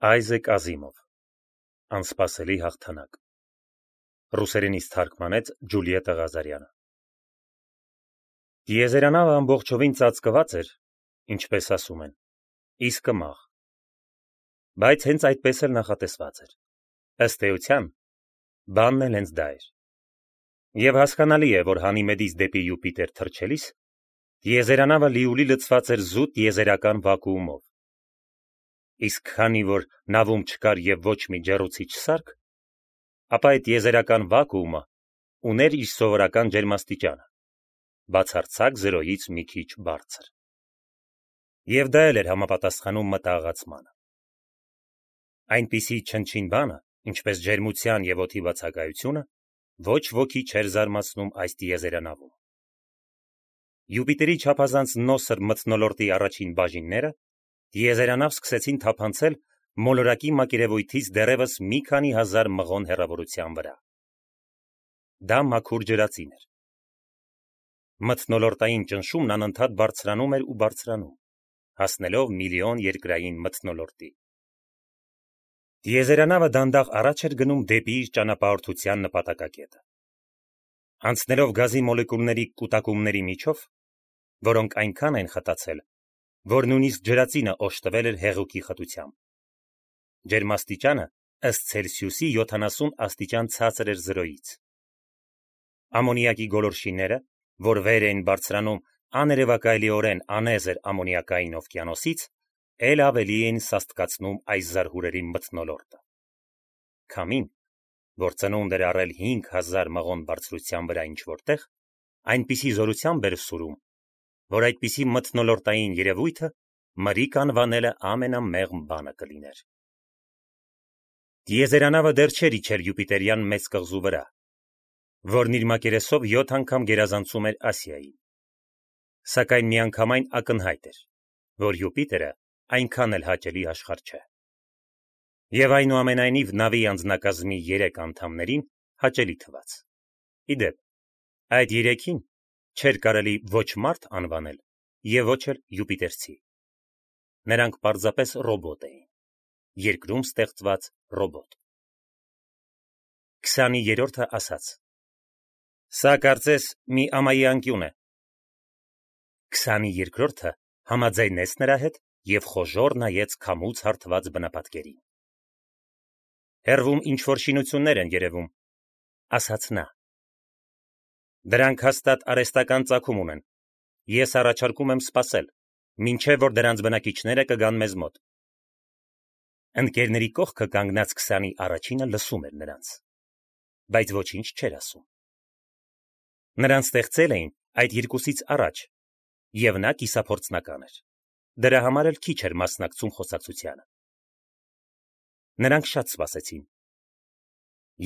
Այզեք Ազիմով Անսպասելի հաղթանակ Ռուսերենից թարգմանեց Ջուլիետտա Ղազարյանը Տիեզերանավը ամբողջովին ծածկված էր, ինչպես ասում են, իսկ մաղ, բայց հենց այդպես էլ նախատեսված էր, ըստ էության, բանն էլ հենց դա էր, և հասկանալի է, որ Հանիմեդից դեպի Յուպիտեր թռչելիս, տիեզերանավը լիուլի լցված էր զուտ տիեզերական վակուումով, իսկ քանի որ նավում չկար և ոչ մի ջեռուցիչ սարք, ապա այդ տիեզերական վակուումը ուներ իր սովորական ջերմաստիճանը, բացարձակ զրոյից մի քիչ բարձր, և դա էլ էր համապատասխանում մտահղացմանը, այնպիսի չնչին բանը, ինչպես ջերմության և օդի բացակայությունը, ոչ ոքի չէր զարմացնում այս տիեզերանավում, Յուպիտերի չափազանց նոսր մթնոլորտի առաջին բաժինները տիեզերանավ սկսեցին թափանցել մոլորակի մակերևույթից դեռևս մի քանի հազար մղոն հեռավորության վրա, դա մաքուր ջրածին էր, մթնոլորտային ճնշումն անընդհատ բարձրանում էր ու բարձրանում, հասնելով միլիոն երկրային մթնոլորտի, տիեզերանավը դանդաղ առաջ էր գնում դեպի իր ճանապարհորդության նպատակակետը, անցնելով գազի մոլեկուլների կուտակումների միջով, որոնք այնքան են խտացել, որ նույնիսկ ջրածինը օժտվել էր հեղուկի խտությամբ, ջերմաստիճանը ըստ Ցելսիուսի 70 աստիճան ցածր էր զրոյից, ամոնիակի գոլորշիները, որ վեր էին բարձրանում աներևակայլիորեն անեզր ամոնիակային օվկիանոսից, էլ ավելի էին սաստկացնում այս զարհուրերի մթնոլորտը, քամին, որ ծնունդ էր առել 5000 մղոն բարձրության վրա ինչ-որտեղ, այնպիսի զորությամբ էր սուրում, որ այդպիսի մթնոլորտային երևույթը մրիկ անվանելը ամենամեղմ բանը կլիներ։ Տիեզերանավը դեռ չէր իջել Յուպիտերյան մեծ կղզու վրա, որն իր մակերեսով 7 անգամ գերազանցում էր Ասիային, սակայն միանգամայն ակնհայտ էր, որ Յուպիտերը այնքան էլ հաճելի աշխարհ չէ, և այնուամենայնիվ նավի անձնակազմի 3 անդամներին հաճելի թվաց, իդեպ, այդ 3-ին չէր կարելի ոչ մարդ անվանել և ոչ էլ յուպիտերցի, նրանք պարզապես ռոբոտ էին, երկրում ստեղծված ռոբոտ, 23-րդը ասաց, սա կարծես մի ամայի անկյուն է, 22-րդը համաձայնեց նրա հետ և խոժոռ նայեց քամուց հարթված բնապատկերին, հեռվում ինչ-որ շինություններ են երևում, ասաց նա, դրանք հաստատ արհեստական ծագում ունեն, ես առաջարկում եմ սպասել, մինչև որ դրանց բնակիչները կգան մեզ մոտ, ընկերների կողքը կանգնած 20-ի առաջինը լսում էր նրանց, բայց ոչինչ չէր ասում, նրան ստեղծել էին այդ երկուսից առաջ, և նա կիսափորձնական էր, դրա համար էլ քիչ էր մասնակցում խոսակցությանը, նրանք շատ սպասեցին,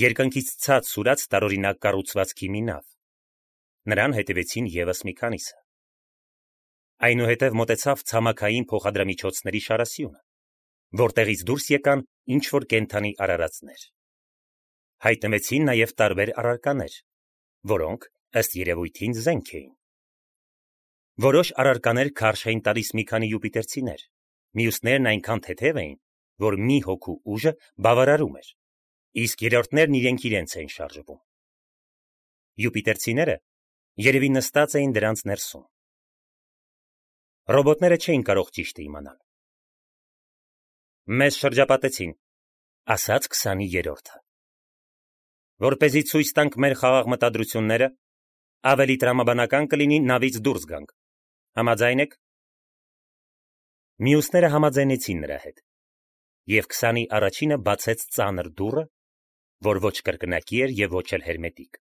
երկնքից ցած սուրաց տարօրինակ կառուցվածքի մի նավ, նրան հետևեցին ևս մի քանիսը, այնուհետև մոտեցավ ցամաքային փոխադրամիջոցների շարասյունը, որտեղից դուրս եկան ինչ-որ կենդանի արարածներ, հայտնվեցին նաև տարբեր առարկաներ, որոնք ըստ երևույթին զենք էին, որոշ առարկաներ քարշ էին տալիս մի քանի յուպիտերցիներ, մյուսներն այնքան թեթև էին, որ մի հոգու ուժը բավարարում էր, իսկ երրորդներն իրենց էին շարժվում, յուպիտերցիները երևի նստած էին դրանց ներսում, ռոբոտները չէին կարող ճիշտը իմանալ, մեզ շրջապատեցին, ասաց 23-րդը, որպեսզի ցույց տանք մեր խաղաղ մտադրությունները, ավելի տրամաբանական կլինի նավից դուրս գանք, համաձայն եք, մյուսները համաձայնեցին նրա հետ, և 20-ի առաջինը բացեց ծանր դուռը, որ ոչ կրկնակի էր և ոչ էլ հերմետիկ,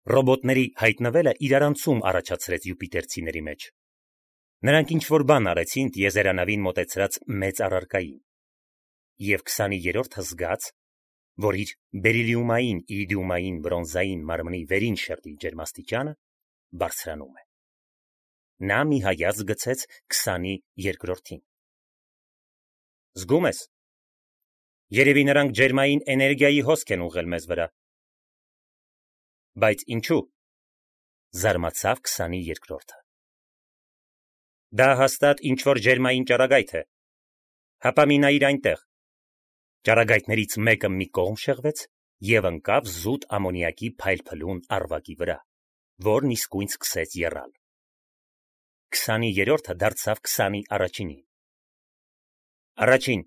ռոբոտների հայտնվելը իրարանցում առաջացրեց յուպիտերցիների մեջ, նրանք ինչ-որ բան արեցին տիեզերանավին մոտեցրած մեծ առարկային, և 23-րդը զգաց, որ իր բերիլիումային, իրիդիումային, բրոնզային մարմնի վերին շերտի ջերմաստիճանը բարձրանում է, նա մի հայացք գցեց 22-րդին, զգում ես, երևի նրանք ջերմային էներգիայի հոսք են ուղղել մեզ վրա, բայց ինչու, զարմացավ 22-րդը, դա հաստատ ինչ-որ ջերմային ճառագայթ է, Հապա մի նայիր այնտեղ։ Ճառագայթներից մեկը մի կողմ շեղվեց եւ ընկավ զուտ ամոնիակի փայլփլուն առվակի վրա, որն իսկույն սկսեց եռալ։ 20-րդը դարձավ 21-ին։ Առաջին,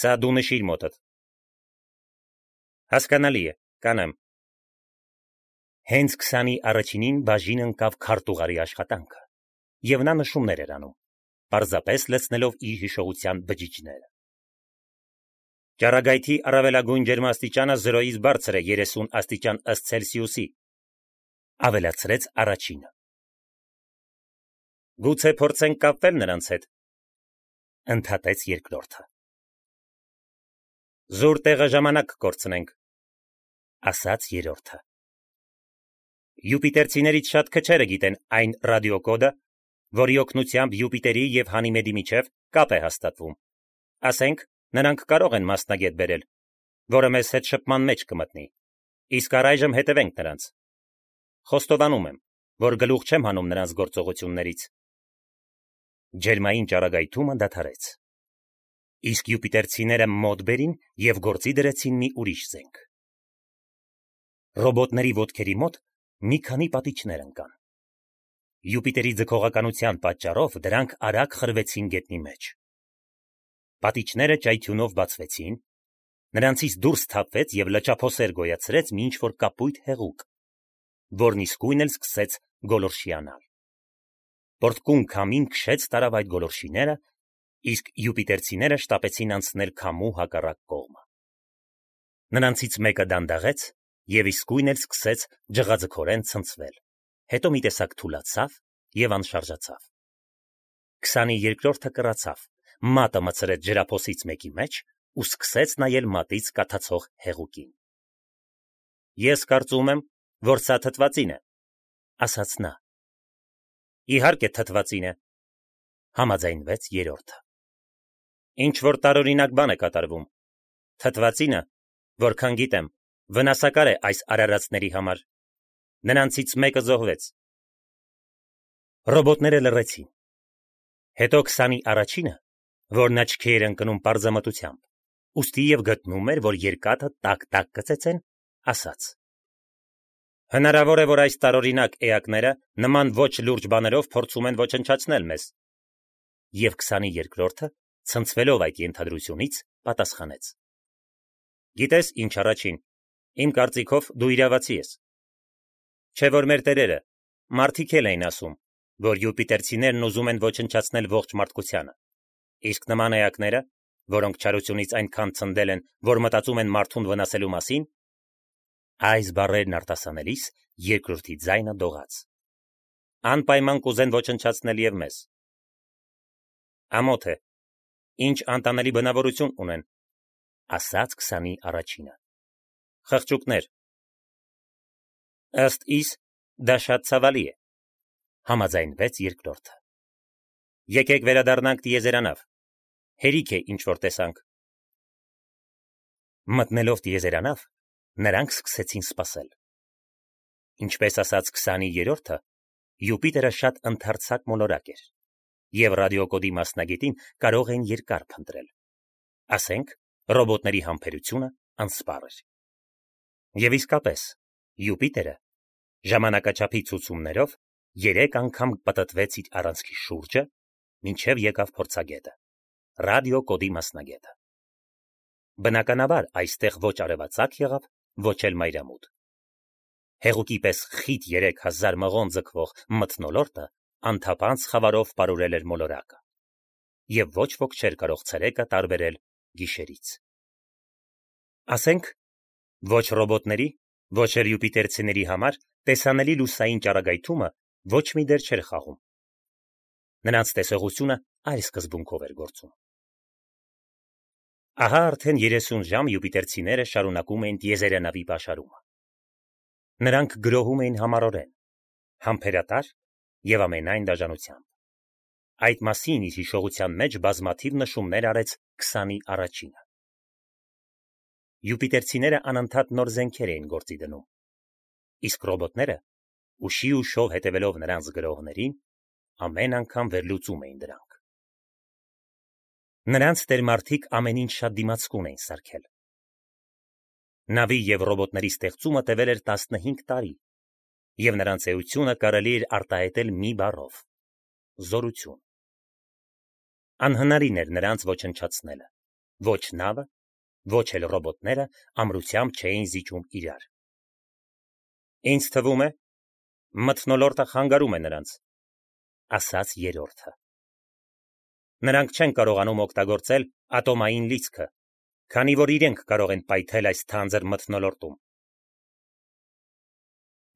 սա դու նշիր մոտդ։ Հասկանալի է, կանեմ։ Հենց 21-ին բաժին ընկավ քարտուղարի աշխատանքը, եւ նա նշումներ էր անում, պարզապես լցնելով իր հիշողության բջիջները։ Ճառագայթի առավելագույն ջերմաստիճանը 0-ից բարձր է 30 աստիճան ըստ Ցելսիուսի, ավելացրեց առաջինը։ Գուցե փորձենք կապվել նրանց հետ, ընդհատեց երկրորդը։ Զուր տեղը ժամանակ կորցնենք, ասաց երրորդը։ Յուպիտերցիներից շատ քչերը գիտեն այն ռադիոկոդը, որի օգնությամբ Յուպիտերի եւ Հանիմեդի միջև կապ է հաստատվում։ Ասենք, նրանք կարող են մասնագետ բերել, որը մեզ հետ շփման մեջ կմտնի, իսկ առայժմ հետևենք նրանց։ Խոստովանում եմ, որ գլուխ չեմ հանում նրանց գործողություններից։ Ջերմային ճառագայթումը դադարեց։ Իսկ յուպիտերցիները մոտ բերին եւ գործի դրեցին մի ուրիշ զենք։ Ռոբոտների ոտքերի մոտ մի քանի պատիճներ ընկան։ Յուպիտերի ձգողականության պատճառով դրանք արագ խրվեցին գետնի մեջ։ Պատիճները ճայթյունով բացվեցին, նրանցից դուրս թափվեց եւ լճափոսեր գոյացրեց մի ինչ-որ կապույտ հեղուկ, որն իսկույն էլ սկսեց գոլորշիանալ։ Պորտկուն քամին քշեց տարավ այդ գոլորշիները, իսկ յուպիտերցիները շտապեցին անցնել քամու հակառակ կողմը։ Նրանցից մեկը դանդաղեց եւ իսկույն էլ սկսեց ջղաձգորեն ցնցվել, հետո մի տեսակ թուլացավ եւ անշարժացավ։ 22-րդը կռացավ, մատը մցրեց ջրափոսից մեկի մեջ ու սկսեց նայել մատից կաթացող հեղուկին։ Ես կարծում եմ, որ սա թթվածին է, ասաց նա։ Իհարկե թթվածին է, համաձայնվեց երրորդը։ Ինչ որ տարօրինակ բան է կատարվում։ Թթվածինը, որքան գիտեմ, վնասակար է այս արարածների համար։ Նրանցից մեկը զոհվեց։ Ռոբոտները լռեցին։ Հետո 21-ը, որն աչքի էր ընկնում պարզամտությամբ, ուստի եւ գտնում էր, որ երկաթը տակ-տակ կծեցեն, ասաց. Հնարավոր է, որ այս տարօրինակ էակները նման ոչ լուրջ բաներով փորձում են ոչնչացնել մեզ։ Եվ 22-րդը, ցնցվելով այդ ենթադրությունից, պատասխանեց. Գիտես ինչ առաջին, իմ կարծիքով դու իրավացի ես։ Չէ որ մեր տերերը, մարդիկ էլ էին ասում, որ յուպիտերցիներն ուզում են ոչնչացնել ողջ մարդկությանը, իսկ նման էակները, որոնք չարությունից այնքան ցնդել են, որ մտածում են մարդուն վնասելու մասին, այս բառերն արտասանելիս երկրորդի ձայնը դողաց։ Անպայման կուզեն ոչնչացնել եւ մեզ։ Ամոթ է, ինչ անտանելի բնավորություն ունեն, ասաց 21-ը։ Խղճուկներ։ Ըստ իս, դա շատ ցավալի է, համաձայնվեց երկրորդը։ Եկեք վերադառնանք տիեզերանավ, հերիք է ինչ որ տեսանք։ Մտնելով տիեզերանավ, նրանք սկսեցին սպասել։ Ինչպես ասաց 20-րդը, Յուպիտերը շատ ընդարձակ մոլորակ էր, եւ ռադիոկոդի մասնագետին կարող են երկար փնտրել։ Ասենք, ռոբոտների համբերությունը անսպառ էր։ Եվ իսկապես, Յուպիտերը ժամանակաչափի ցուցումներով 3 անգամ պտտվեց իր առանցքի շուրջը, մինչև եկավ փորձագետը, ռադիոկոդի մասնագետը։ Բնականաբար այստեղ ոչ արևածագ եղավ, ոչ էլ մայրամուտ։ Հեղուկի պես խիտ 3000 մղոն ձգվող մթնոլորտը անթափանց խավարով պարուրել էր մոլորակը, եւ ոչ ոք չէր կարող ցերեկը տարբերել գիշերից։ Ասենք, ոչ ռոբոտների, ոչ էլ յուպիտերցիների համար տեսանելի լուսային ճառագայթումը ոչ մի դեր չէր խաղում։ Նրանց տեսողությունը այլ սկզբունքով էր գործում։ Ահա արդեն 30 ժամ յուպիտերցիները շարունակում էին տիեզերանավի պաշարումը։ Նրանք գրոհում էին համառորեն, համբերատար եւ ամենայն դաժանությամբ։ Այդ մասին իր հիշողության մեջ բազմաթիվ նշումներ արեց 21-ը։ Յուպիտերցիները անընդհատ նոր զենքեր էին գործի դնում, իսկ ռոբոտները, ուշի ուշով հետևելով նրանց գրողներին, ամեն անգամ վերլուծում էին դրանք։ Նրանց տերմարդիկ ամեն ինչ շատ դիմացկուն էին սարքել։ Նավի և ռոբոտների ստեղծումը տևել էր 15 տարի, և նրանց էությունը կարելի էր արտահայտել մի բառով՝ զորություն։ Անհնարին էր նրանց ոչնչացնելը, ոչ նավը, ոչ էլ ռոբոտները ամրությամբ չէին զիջում իրար։ Ինձ թվում է, մթնոլորտը խանգարում է նրանց, ասաց երրորդը։ Նրանք չեն կարողանում օգտագործել ատոմային լիցքը, քանի որ իրենք կարող են պայթել այս թանձր մթնոլորտում։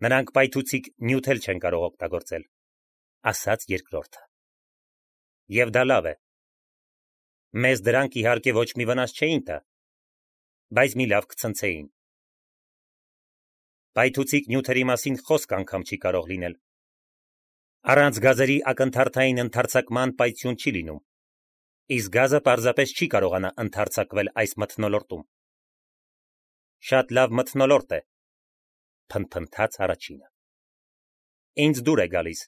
Նրանք պայթուցիկ նյութ էլ չեն կարող օգտագործել, ասաց երկրորդը։ Եվ դա լավ է։ Մեզ դրանք իհարկե ոչ մի վնաս չէին տա, բայց մի լավ կցնցեին։ Պայթուցիկ նյութերի մասին խոսք անգամ չի կարող լինել։ Առանց գազերի ակնթարթային ընդարձակման պայթյուն չի լինում, իսկ գազը պարզապես չի կարողանա ընդարձակվել այս մթնոլորտում։ Շատ լավ մթնոլորտ է, փնթփնթաց առաջինը։ Ինձ դուր է գալիս։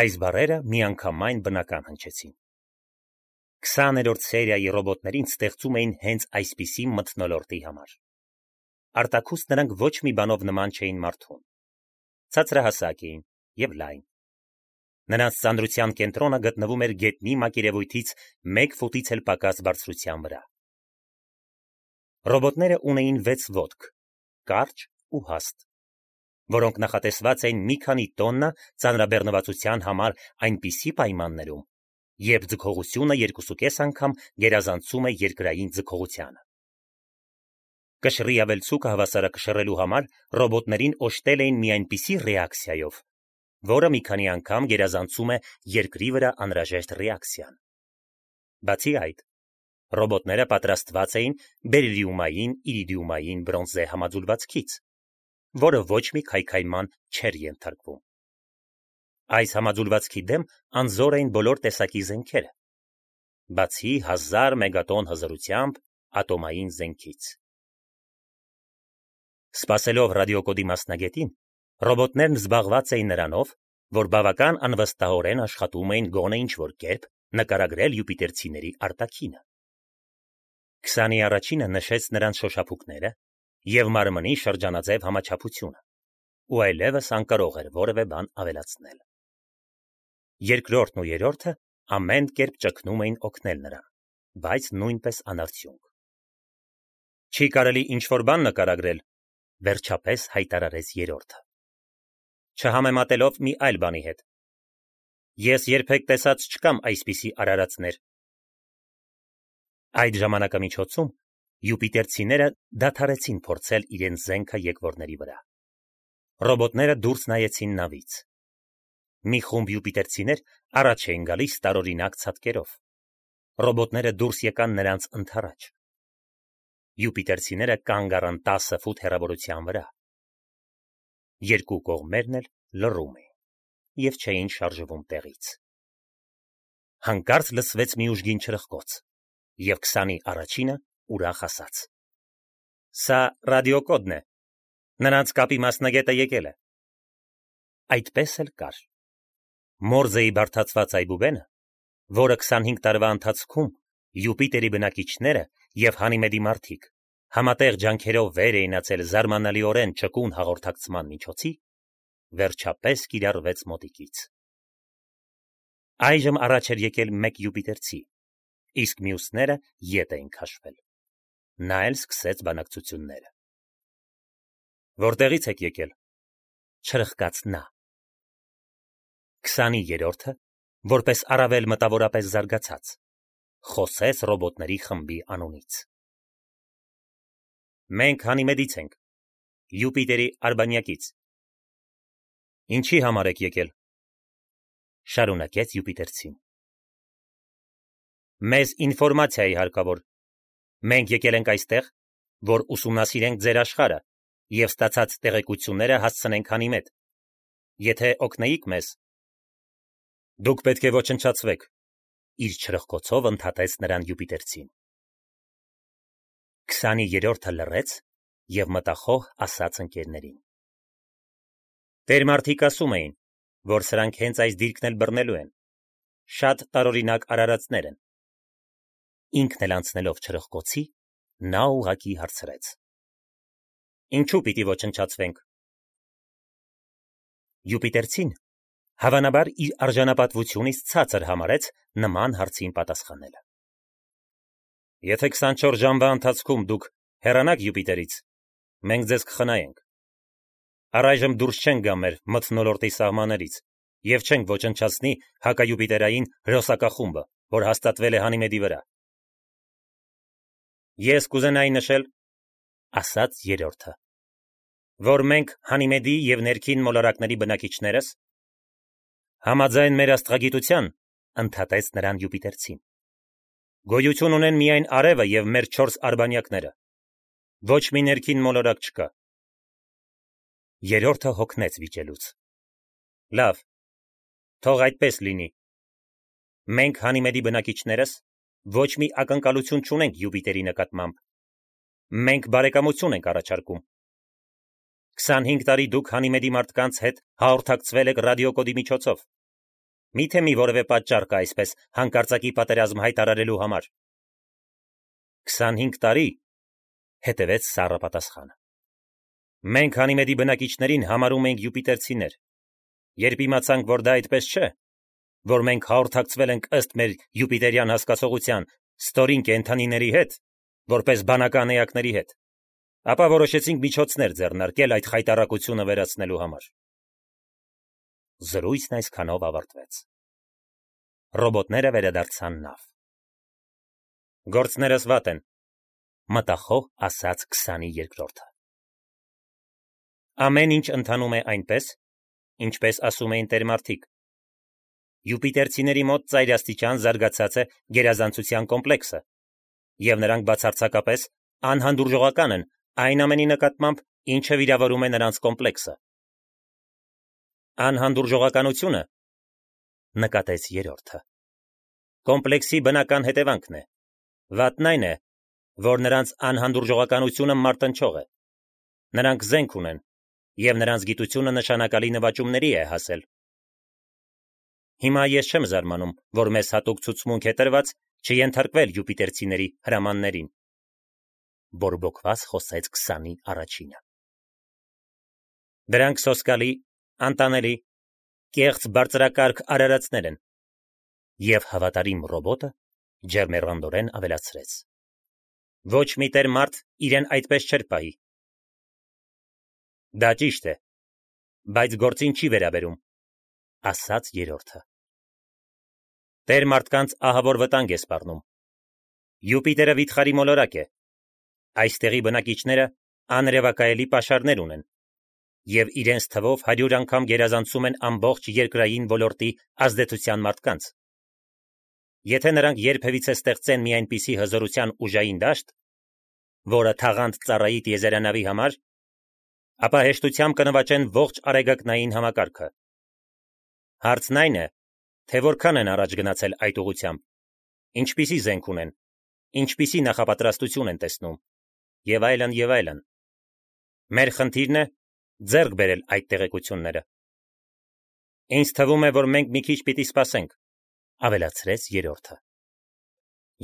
Այս բառերը միանգամայն բնական հնչեցին։ 20-րդ սերիայի ռոբոտներին ստեղծում էին հենց այսպիսի մթնոլորտի համար։ Արտաքուստ նրանք ոչ մի բանով նման չէին մարդուն։ Ցածրահասակ էին և լայն։ Նրանց ծանրության կենտրոնը գտնվում էր գետնի մակերևույթից 1 ֆուտից էլ պակաս բարձրության վրա։ Ռոբոտները ունեին 6 ոտք, կարճ ու հաստ, որոնք նախատեսված էին մի քանի տոննա ծանրաբեռնվածության համար այնպիսի պայմաններում, երբ ձգողությունը 2,5 անգամ գերազանցում է երկրային ձգողությանը։ Կշռի ավելցուկը հավասարակշռելու համար ռոբոտներին օժտել էին մի այնպիսի ռեակցիայով, որը մի քանի անգամ գերազանցում է երկրի վրա անհրաժեշտ ռեակցիան։ Բացի այդ, ռոբոտները պատրաստված էին բերիլիումային իրիդիումային բրոնզե համաձուլվածքից, որը ոչ մի քայքայման չէր ենթարկվում։ Այս համաձուլվածքի դեմ անզոր էին բոլոր տեսակի զենքերը, բացի 1000 մեգատոն հզորությամբ ատոմային զենքից։ Սպասելով ռադիոկոդի մասնագետին, ռոբոտներն զբաղված էին նրանով, որ բավական անվստահորեն աշխատում էին գոնե ինչ-որ կերպ նկարագրել յուպիտերցիների արտաքինը։ 21-ը նշեց նրանց շոշափուկները և մարմնի շրջանաձև համաչափությունը, ու այլևս անկարող էր որևէ բան ավելացնել։ Երկրորդն ու երրորդը ամեն կերպ ճգնում էին օգնել նրան, բայց նույնպես անարդյունք։ Չի կարելի ինչ-որ բան նկարագրել, վերջապես հայտարարեց երրորդը։ Չհամեմատելով մի այլ բանի հետ։ Ես երբեք տեսած չկամ այսպիսի արարածներ։ Այդ ժամանակամիջոցում յուպիտերցիները դադարեցին փորձել իրենց զենքը եկվորների վրա։ Ռոբոտները դուրս նայեցին նավից։ Մի խումբ յուպիտերցիներ առաջ էին գալիս տարօրինակ ցատկերով։ Ռոբոտները դուրս եկան նրանց ընդառաջ։ Յուպիտերցիները կանգ առան 10 ֆուտ հեռավորության վրա։ Երկու կողմերն էլ լռում էին և չէին շարժվում տեղից։ Հանկարծ լսվեց մի ուժգին չրխկոց, և 21-ը ուրախ ասաց. Սա ռադիոկոդն է։ Նրանց կապի մասնագետը եկել է։ Այդպես էլ կար։ Մորզեի բարդացված այբուբենը, որը 25 տարվա ընթացքում Յուպիտերի բնակիչները և Հանիմեդի մարդիկ համատեղ ջանքերով վեր էին ացել զարմանալիորեն ճկուն հաղորդակցման միջոցի, վերջապես կիրառվեց մոտիկից։ Այժմ առաջ էր եկել մեկ յուպիտերցի, իսկ մյուսները ետ էին քաշվել։ Նա էլ սկսեց բանակցությունները։ Որտեղից եք եկել, չրխկաց նա։ 23-ը, որպես առավել մտավորապես զարգացած, խոսեց ռոբոտների խմբի անունից։ Մենք Հանիմեդից ենք, Յուպիտերի արբանյակից։ Ինչի համար եք եկել, շարունակեց յուպիտերցին։ Մեզ ինֆորմացիա է հարկավոր։ Մենք եկել ենք այստեղ, որ ուսումնասիրենք ձեր աշխարհը և ստացած տեղեկությունները հասցնենք Հանիմեդ։ Եթե օգնեիք մեզ, դուք պետք է ոչնչացվեք, իր չրխկոցով ընդհատեց նրան յուպիտերցին։ 23-ը լռեց և մտախոհ ասաց ընկերներին. Տերմարդիկ ասում էին, որ սրանք հենց այս դիրքն էլ բռնելու են։ Շատ տարօրինակ արարածներ են, ինքն էլ անցնելով չրխկոցի, նա ուղակի հարցրեց. Ինչու պիտի ոչնչացվենք։ Յուպիտերցին հավանաբար իր արժանապատվությունից ցածր համարեց նման հարցին պատասխանելը։ Եթե 24 ժամվա ընթացքում դուք հեռանաք Յուպիտերից, մենք ձեզ կխնայենք։ Առայժմ դուրս չենք գա մեր մթնոլորտի սահմաններից եւ չենք ոչնչացնի հակայուպիտերային հրոսակախումբը, որ հաստատվել է Հանիմեդի վրա։ Ես կուզենայի նշել, ասաց երրորդը, որ մենք Հանիմեդի եւ ներքին մոլորակների բնակիչներս համաձայն մեր աստղագիտության, ընդհատեց նրան Յուպիտերցին, գոյություն ունեն միայն արևը եւ մեր 4 արբանյակները։ Ոչ մի ներքին մոլորակ չկա։ Երրորդը հոգնեց վիճելուց։ Լավ, թող այդպես լինի։ Մենք Հանիմեդի բնակիչներս ոչ մի ակնկալություն չունենք Յուպիտերի նկատմամբ։ Մենք բարեկամություն ենք առաջարկում։ 25 տարի դուք Հանիմեդի մարդկանց հետ հաղորդակցվել եք ռադիոկոդի միջոցով։ Միթե մի որևէ պատճառ կա այսպես հանկարծակի պատերազմ հայտարարելու համար։ 25 տարի, հետևեց սառը պատասխանը։ Մենք Հանիմեդի բնակիչներին համարում ենք յուպիտերցիներ։ Երբ իմացանք, որ դա այդպես չէ, որ մենք հաղորդակցվել ենք ըստ մեր յուպիտերյան հասկացողության ստորին կենդանիների հետ, որպես բանական էակների հետ, ապա որոշեցինք միջոցներ ձեռնարկել այդ խայտառակությունը վերացնելու համար։ Զրույցն այսքանով ավարտվեց։ Ռոբոտները վերադարձան նավ։ Գործներս վատ են, մտախոհ ասաց 22-րդը։ Ամեն ինչ ընթանում է այնպես, ինչպես ասում էին տերմարդիկ։ Յուպիտերցիների մոտ ծայրաստիճան զարգացած է գերազանցության կոմպլեքսը, եւ նրանք բացարձակապես անհանդուրժողական են այն ամենի նկատմամբ, ինչը վիրավորում է նրանց կոմպլեքսը։ Անհանդուրժողականությունը, նկատեց երրորդը, կոմպլեքսի բնական հետևանքն է։ Վատն այն է, որ նրանց անհանդուրժողականությունը մարտնչող է։ Նրանք զենք ունեն, եւ նրանց գիտությունը նշանակալի նվաճումների է հասել։ Հիմա ես չեմ զարմանում, որ մեզ հատուկ ցուցմունք է տրված չենթարկվել յուպիտերցիների հրամաններին։ Բորբոքված խոսեց 20-ի առաջինը։ Դրանք սոսկալի, անտանելի, կեղծ բարձրակարգ արարածներ են։ Եվ հավատարիմ ռոբոտը ջերմեռանդորեն ավելացրեց. Ոչ մի տեր մարդ իրեն այդպես չէր պահի։ Դա ճիշտ է, բայց գործին չի վերաբերում, ասաց երրորդը։ Տեր մարդկանց ահավոր վտանգ է սպառնում։ Յուպիտերը վիթխարի մոլորակ է։ Այստեղի բնակիչները աներևակայելի պաշարներ ունեն եւ իրենց թվով 100 անգամ գերազանցում են ամբողջ երկրային ոլորտի ազդեցության մարդկանց։ Եթե նրանք երբևիցե ստեղծեն մի այնպիսի հզորության ուժային դաշտ, որը թաղանդ ծառայի տիեզերանավի համար, ապա հեշտությամբ կնվաճեն ողջ արեգակնային համակարգը։ Հարցն այն է, թե որքան են առաջ գնացել այդ ուղղությամբ, ինչպիսի զենք ունեն, ինչպիսի նախապատրաստություն են տեսնում, եւ այլն եւ այլն։ Մեր խնդիրն է ձեռք բերել այդ տեղեկությունները։ Ինձ թվում է, որ մենք մի քիչ պիտի սպասենք, ավելացրեց երրորդը։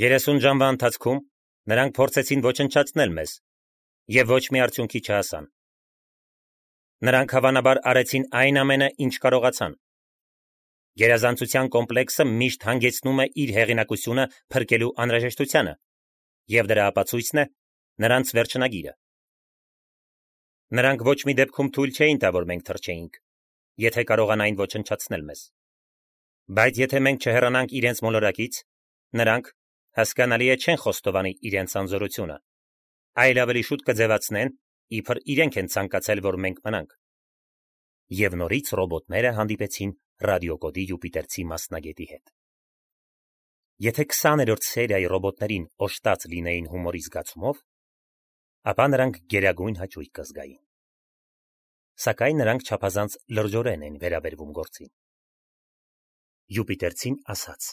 30 ժամվա ընթացքում նրանք փորձեցին ոչնչացնել մեզ եւ ոչ մի արդյունքի չհասան։ Նրանք հավանաբար արեցին այն ամենը, ինչ կարողացան։ Գերազանցության կոմպլեքսը միշտ հանգեցնում է իր հեղինակությունը փրկելու անհրաժեշտությանը, եւ դրա ապացույցն է նրանց վերջնագիրը։ Նրանք ոչ մի դեպքում թույլ չէին տա, որ մենք թռչեինք, եթե կարողանային ոչնչացնել մեզ։ Բայց եթե մենք չհեռանանք իրենց մոլորակից, նրանք, հասկանալի է, չեն խոստովանի իրենց անզորությունը, այլ ավելի շուտ կձևացնեն, իբր իրենք են ցանկացել, որ մենք մնանք։ Եվ նորից ռոբոտները հանդիպեցին ռադիոկոդի յուպիտերցի մասնագետի հետ։ Եթե 20-րդ սերիայի ռոբոտներին օժտած լինեին հումորի զգացումով, ապա նրանք գերագույն հաճույք կզգային։ Սակայն նրանք չափազանց լրջորեն են վերաբերվում գործին։ Յուպիտերցին ասաց.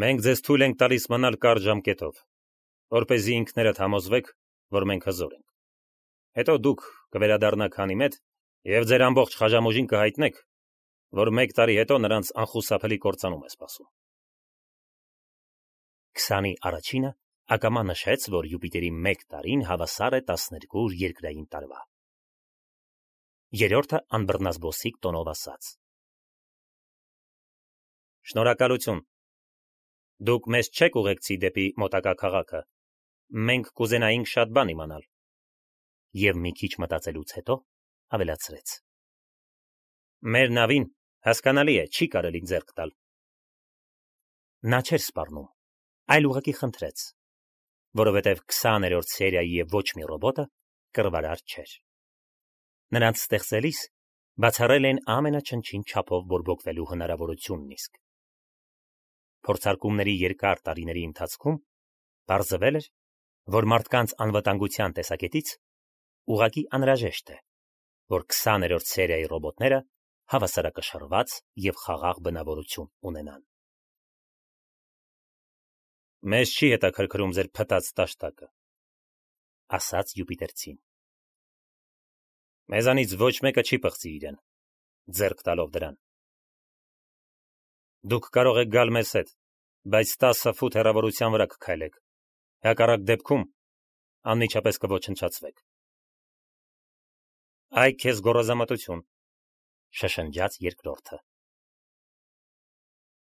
Մենք ձեզ թույլ ենք տալիս մնալ կարճ ժամկետով, որպեսզի ինքներդ համոզվեք, որ մենք հզոր ենք։ Հետո դուք կվերադառնաք Հանիմեդ եւ ձեր ամբողջ խաժամուժին կհայտնեք, որ 1 տարի հետո նրանց անխուսափելի կործանում է սպասում։ 20-ի առաջինը ակամա նշեց, որ Յուպիտերի 1 տարին հավասար է 12 երկրային տարվա։ Երրորդը անբռնազբոսիկ տոնով ասաց. Շնորհակալություն։ Դուք մեզ չեք ուղեկցի դեպի մոտակա քաղաքը։ Մենք կուզենայինք շատ բան իմանալ։ Եվ մի քիչ մտածելուց հետո ավելացրեց. Մեր նավին հասկանալի է, չի կարելի ձեռք տալ։ Նա չէր սպառնում, այլ ուղղակի խնդրեց, որովհետև 20-րդ սերիայի և ոչ մի ռոբոտը կռվարար չէր։ Նրանց ստեղծելիս բացառել են ամենաչնչին չափով բորբոքվելու հնարավորությունն իսկ։ Փորձարկումների երկար տարիների ընթացքում պարզվել էր, որ մարդկանց անվտանգության տեսակետից ուղղակի անհրաժեշտ է, որ 20-րդ սերիայի ռոբոտները հավասարակշռված և խաղաղ բնավորություն ունենան։ Մեզ չի հետաքրքրում ձեր փտած տաշտակը, ասաց Յուպիտերցին։ Մեզանից ոչ մեկը չի պղծի իրեն, ձեռք տալով դրան։ Դուք կարող եք գալ մեզ հետ, բայց 10 ֆուտ հեռավորության վրա կքայլեք, հակառակ դեպքում անմիջապես կոչնչացվեք։ Այ քեզ գոռոզամտություն, շշնջաց երկրորդը։